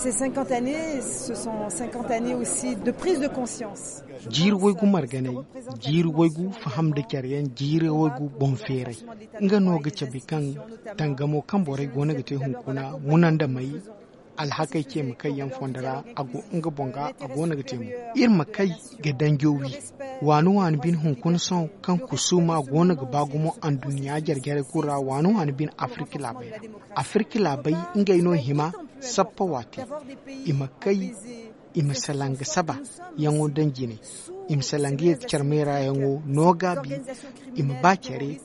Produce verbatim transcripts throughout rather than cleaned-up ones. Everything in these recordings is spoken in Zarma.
Ces cinquante années, ce sont cinquante années aussi de prise de conscience. Jiiri waygu marganay, jiiri waygu faham nda care yaŋ, jiiri waygu boŋ feeray. Nga no ga cabe kaŋ tangamo kaŋ borey go no ga te hunkuna, munandamey, alhakey ce ma kay yaŋ fondo ra, a go nga boŋ ga, a go no ga te mo. Iri ma kay ga danjo wi. Waani waani bine hunkuna sohõ kaŋ kusuuma go no ga ba gumo anduɲɲa jare-jarey kulu ra, waani waani bine afirka laabey ra. Afirka laabey, ngey no hima sappa waate. I ma kay, i ma salaŋ ga saba yaŋo daŋ jine. I ma salaŋ ga ye ga care meera yaŋo no gaabi. I ma ba care,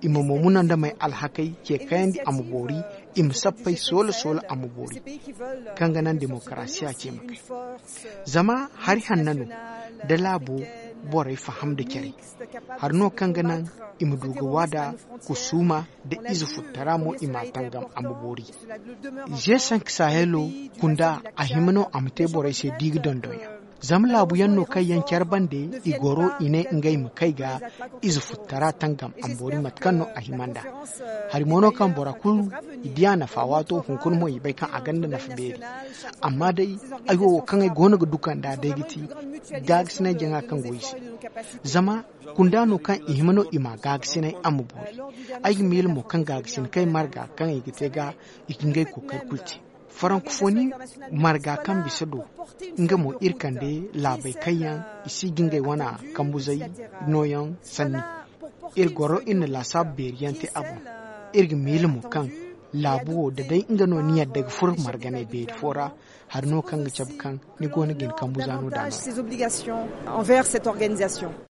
i ma mo munandamey alhakey ce kayandi a ma boori. I ma sappey soola-soola a ma boori. Kaŋ ga naŋ demokarasiya ce ma kay. Zama hari hanna no da laabo borey faham nda care. Hari no kaŋ ga naŋ i ma du ga waada kusuuma nda ize futtara mo i m'a tangam a ma boori. Ze sank sahelo kunda, a hima no a ma te borey se di ga dondon yaŋ. Zama laabu yaŋ no kaŋ yaŋ care bande, i goro i ne ngey ma kay ga ize futtara tangam a ma boori mate kaŋ no a hima nd'a. Hari mo no kaŋ bora kulu i di a nafa waato hunkuna mo i bay kaŋ a gonda nafa beeri. Amma day, ay wo wo kaŋ ay go no ga duka nd'a day ga ti gaagasinay jaŋa kaŋ go i se. Zama kunda no kaŋ i hima no i ma gaagasinay a ma boori. Ay ga miila mo kaŋ gaagasinay kaŋ ay marga kaŋ i ga te ga, i ga ngey kookari kulu te. Farankofoni marga kaŋ bisa do, nga mo iri kande laabey kaŋ yaŋ i si ga ngey wana kambuzey nooyaŋ sanni. Iri goro iri na laasaabu beeri yaŋ te a boŋ. Iri ga miila mo kaŋ laabu wo da day nga no ni yadda ga furo marganay beeri fo ra, hari no kaŋ ga cabe kaŋ ni go no ga ni kambuza no daana.